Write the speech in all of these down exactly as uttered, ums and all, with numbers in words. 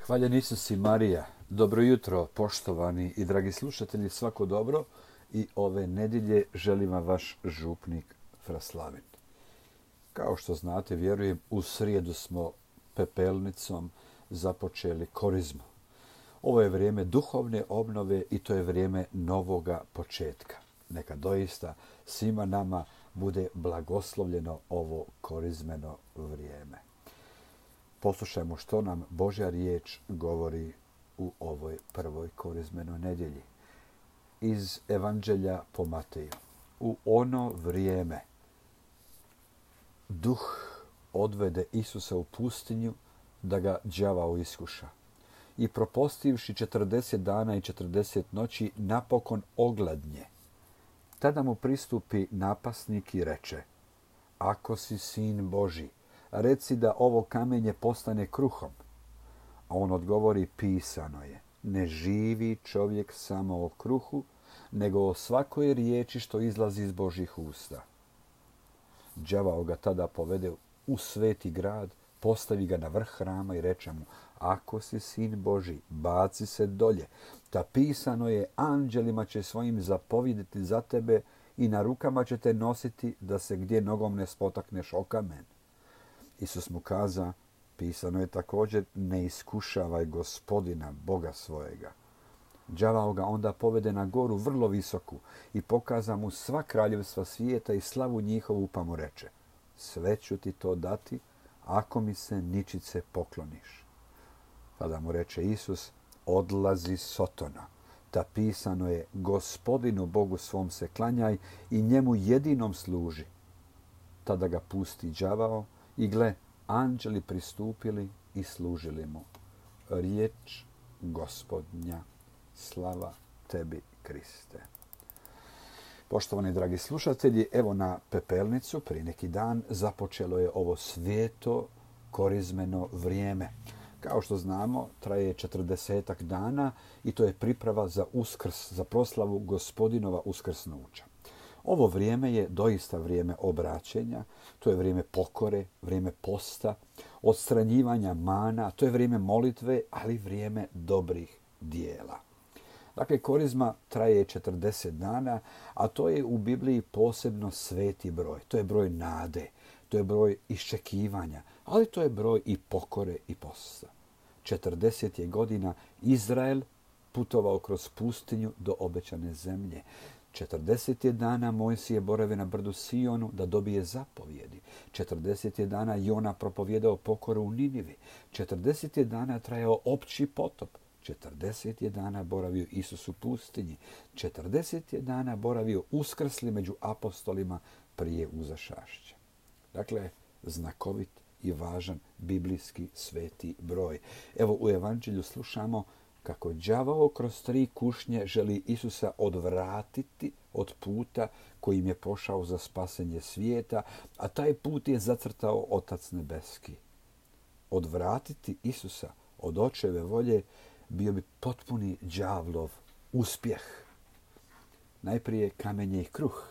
Hvaljen Isus i Marija. Dobro jutro, poštovani i dragi slušatelji, svako dobro. I ove nedjelje želim vam vaš župnik Fraslavin. Kao što znate, vjerujem, u srijedu smo pepelnicom započeli korizmu. Ovo je vrijeme duhovne obnove i to je vrijeme novoga početka. Neka doista svima nama bude blagoslovljeno ovo korizmeno vrijeme. Poslušajmo što nam Božja riječ govori u ovoj prvoj korizmenoj nedjelji. Iz Evanđelja po Mateju. U ono vrijeme duh odvede Isusa u pustinju da ga đavao iskuša. I propostivši četrdeset dana i četrdeset noći napokon ogladnje. Tada mu pristupi napasnik i reče: Ako si sin Božji, reci da ovo kamenje postane kruhom. A on odgovori: Pisano je, ne živi čovjek samo o kruhu, nego o svakoj riječi što izlazi iz Božjih usta. Đavao ga tada povede u sveti grad, postavi ga na vrh hrama i reče mu: Ako si sin Božji, baci se dolje. Ta pisano je, anđelima će svojim zapovjediti za tebe i na rukama će te nositi da se gdje nogom ne spotakneš o kamen. Isus mu kaza: Pisano je također, ne iskušavaj Gospodina, Boga svojega. Đavao ga onda povede na goru vrlo visoku i pokaza mu sva kraljevstva svijeta i slavu njihovu, pa mu reče: Sve ću ti to dati, ako mi se ničice pokloniš. Tada mu reče Isus: Odlazi Sotona. Ta pisano je, Gospodinu Bogu svom se klanjaj i njemu jedinom služi. Tada ga pusti đavao i gle, anđeli pristupili i služili mu. Riječ Gospodnja. Slava tebi, Kriste. Poštovani dragi slušatelji, evo na pepelnicu prije neki dan započelo je ovo svijeto korizmeno vrijeme. Kao što znamo, traje četrdesetak dana i to je priprava za Uskrs, za proslavu Gospodinova uskrsnuća. Ovo vrijeme je doista vrijeme obraćenja, to je vrijeme pokore, vrijeme posta, odstranjivanja mana, to je vrijeme molitve, ali vrijeme dobrih dijela. Dakle, korizma traje četrdeset dana, a to je u Bibliji posebno sveti broj. To je broj nade, to je broj iščekivanja, ali to je broj i pokore i posta. četrdeset je godina Izrael putovao kroz pustinju do obećane zemlje. četrdeset je dana Mojsije borave na brdu Sionu da dobije zapovjedi. četrdeset je dana Jona propovjedao pokoru u Ninivi. četrdeset je dana trajao opći potop. četrdeset je dana boravio Isus u pustinji. četrdeset je dana boravio uskrsli među apostolima prije uzašašća. Dakle, znakovit i važan biblijski sveti broj. Evo u Evanđelju slušamo kako đavao kroz tri kušnje želi Isusa odvratiti od puta kojim je pošao za spasenje svijeta, a taj put je zacrtao Otac nebeski. Odvratiti Isusa od očeve volje bio bi potpuni đavlov uspjeh. Najprije kamenje i kruh.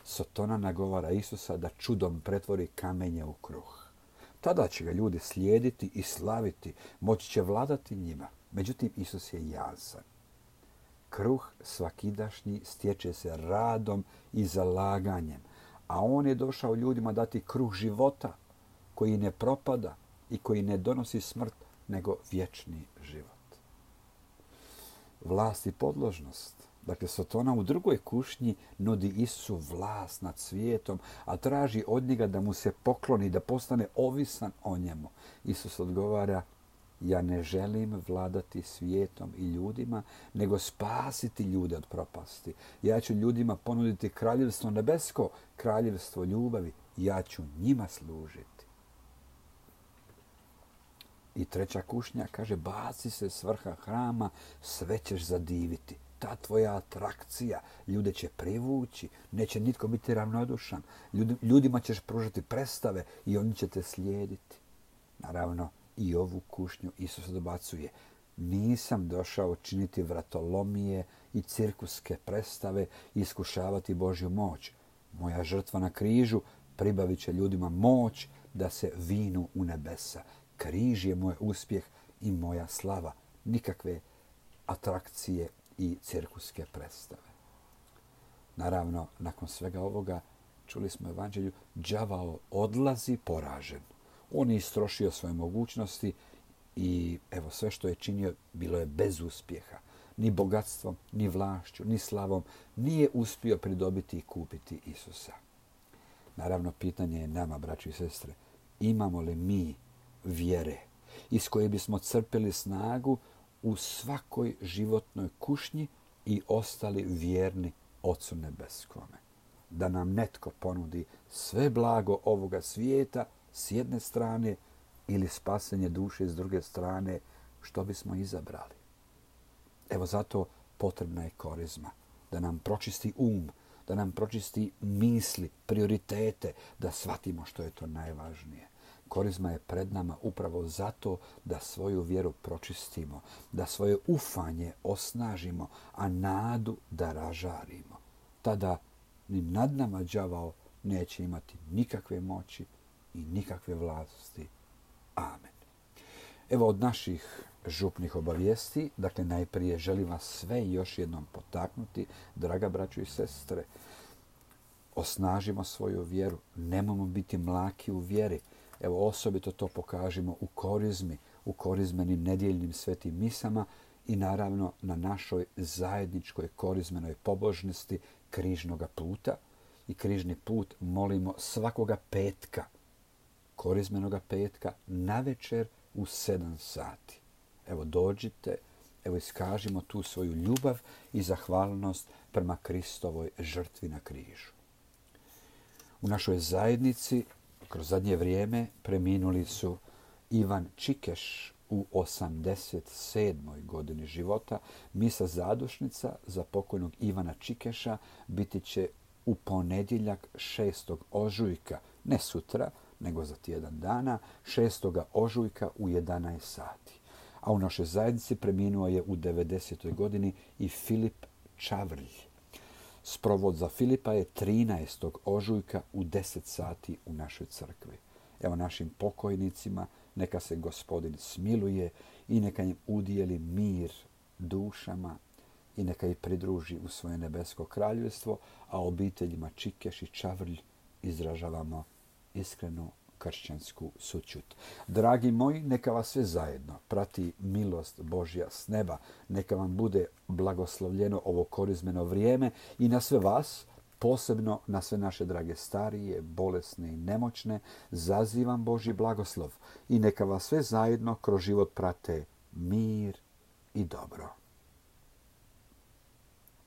Sotona nagovara Isusa da čudom pretvori kamenje u kruh. Tada će ga ljudi slijediti i slaviti, moći će vladati njima. Međutim, Isus je jasan. Kruh svakidašnji stječe se radom i zalaganjem, a on je došao ljudima dati kruh života, koji ne propada i koji ne donosi smrt, nego vječni život. Vlast i podložnost. Dakle, Sotona u drugoj kušnji nudi Isusu vlast nad svijetom, a traži od njega da mu se pokloni, da postane ovisan o njemu. Isus odgovara: Ja ne želim vladati svijetom i ljudima, nego spasiti ljude od propasti. Ja ću ljudima ponuditi kraljevstvo nebesko, kraljevstvo ljubavi. Ja ću njima služiti. I treća kušnja kaže: Baci se s vrha hrama, sve ćeš zadiviti. Ta tvoja atrakcija ljude će privući, neće nitko biti ravnodušan. Ljudima ćeš pružati predstave i oni će te slijediti. Naravno, i ovu kušnju Isus dobacuje: Nisam došao činiti vratolomije i cirkuske predstave i iskušavati Božju moć. Moja žrtva na križu pribavit će ljudima moć da se vinu u nebesa. Križ je moj uspjeh i moja slava. Nikakve atrakcije i cirkuske predstave. Naravno, nakon svega ovoga, čuli smo u evanđelju, đavao odlazi poražen. On je istrošio svoje mogućnosti i evo sve što je činio bilo je bez uspjeha. Ni bogatstvom, ni vlašću, ni slavom nije uspio pridobiti i kupiti Isusa. Naravno, pitanje je nama, braći i sestre, imamo li mi vjere iz koje bismo crpili snagu u svakoj životnoj kušnji i ostali vjerni Ocu Nebeskome. Da nam netko ponudi sve blago ovoga svijeta s jedne strane ili spasenje duše s druge strane, što bismo izabrali. Evo zato potrebna je korizma, da nam pročisti um, da nam pročisti misli, prioritete, da shvatimo što je to najvažnije. Korizma je pred nama upravo zato da svoju vjeru pročistimo, da svoje ufanje osnažimo, a nadu da ražarimo. Tada ni nad nama đavao neće imati nikakve moći i nikakve vlasti. Amen. Evo od naših župnih obavijesti, dakle najprije želim vas sve još jednom potaknuti, draga braćo i sestre, osnažimo svoju vjeru, nemojmo biti mlaki u vjeri. Evo osobito to pokažimo u korizmi, u korizmenim nedjeljnim svetim misama i naravno na našoj zajedničkoj korizmenoj pobožnosti križnoga puta. I križni put molimo svakoga petka, korizmenoga petka, navečer u sedam sati. Evo dođite, evo iskažimo tu svoju ljubav i zahvalnost prema Kristovoj žrtvi na križu. U našoj zajednici kroz zadnje vrijeme preminuli su Ivan Čikeš u osamdeset sedmoj godini života. Misa zadušnica za pokojnog Ivana Čikeša biti će u ponedjeljak šestog ožujka, ne sutra, nego za tjedan dana, šestog ožujka u jedanaest sati. A u našoj zajednici preminuo je u devedesetoj godini i Filip Čavrlj. Sprovod za Filipa je trinaestog ožujka u deset sati u našoj crkvi. Evo našim pokojnicima neka se Gospodin smiluje i neka im udijeli mir dušama i neka ih pridruži u svoje nebesko kraljevstvo, a obiteljima Čikeš i Čavrlj izražavamo iskrenu kršćansku sućut. Dragi moji, neka vas sve zajedno prati milost Božja s neba. Neka vam bude blagoslovljeno ovo korizmeno vrijeme i na sve vas, posebno na sve naše drage starije, bolesne i nemoćne, zazivam Božji blagoslov i neka vas sve zajedno kroz život prate mir i dobro.